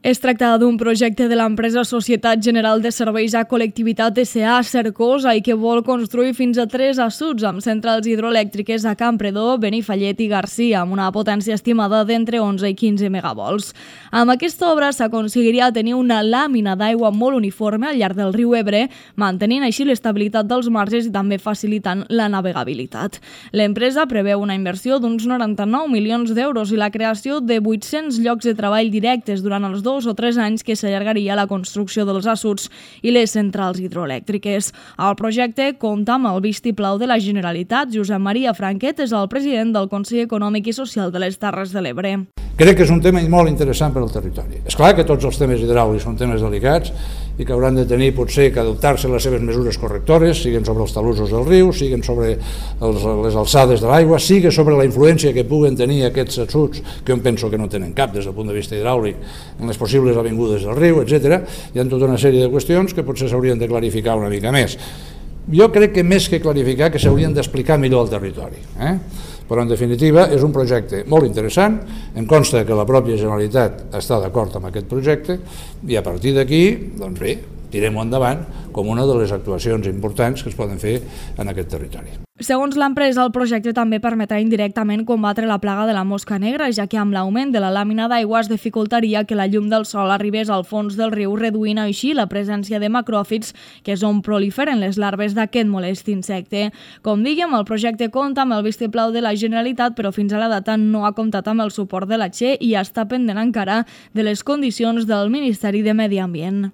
Es tracta d'un projecte de l'empresa Societat General de Serveis a Col·lectivitat S.A. Cercosa i que vol construir fins a 3 assuts amb centrals hidroelèctriques a Campredó, Benifallet i Garcia, amb una potència estimada d'entre 11 i 15 megavols. Amb aquesta obra s'aconseguiria tenir una làmina d'aigua molt uniforme al llarg del riu Ebre, mantenint així l'estabilitat dels marges i també facilitant la navegabilitat. L'empresa preveu una inversió d'uns 99 milions d'euros i la creació de 800 llocs de treball directes durant els 2 o 3 anys que s'allargaria la construcció dels assuts i les centrals hidroelèctriques. El projecte compta amb el vistiplau de la Generalitat. Josep Maria Franquet és el president del Consell Econòmic i Social de les Terres de l'Ebre. Crec que és un tema molt interessant per al territori. És clar que tots els temes hidràulics són temes delicats i que hauran de tenir potser que adoptar-se les seves mesures correctores, siguin sobre els talussos del riu, siguin sobre les alçades de l'aigua, siguin sobre la influència que puguen tenir aquests assuts, que jo penso que no tenen cap des del punt de vista hidràulic, en les possibles avingudes del riu, etc. Hi ha tota una sèrie de qüestions que potser s'haurien de clarificar una mica més. Jo crec que més que clarificar, que s'haurien d'explicar millor al territori. Però en definitiva és un projecte molt interessant, em consta que la pròpia Generalitat està d'acord amb aquest projecte i a partir d'aquí, doncs bé, tirem-ho endavant com una de les actuacions importants que es poden fer en aquest territori. Segons l'empresa, el projecte també permetrà indirectament combatre la plaga de la mosca negra, ja que amb l'augment de la làmina d'aigua es dificultaria que la llum del sol arribés al fons del riu, reduint així la presència de macròfits, que és on proliferen les larves d'aquest molest insecte. Com diguem, el projecte compta amb el vistiplau de la Generalitat, però fins a la data no ha comptat amb el suport de la Che i està pendent encara de les condicions del Ministeri de Medi Ambient.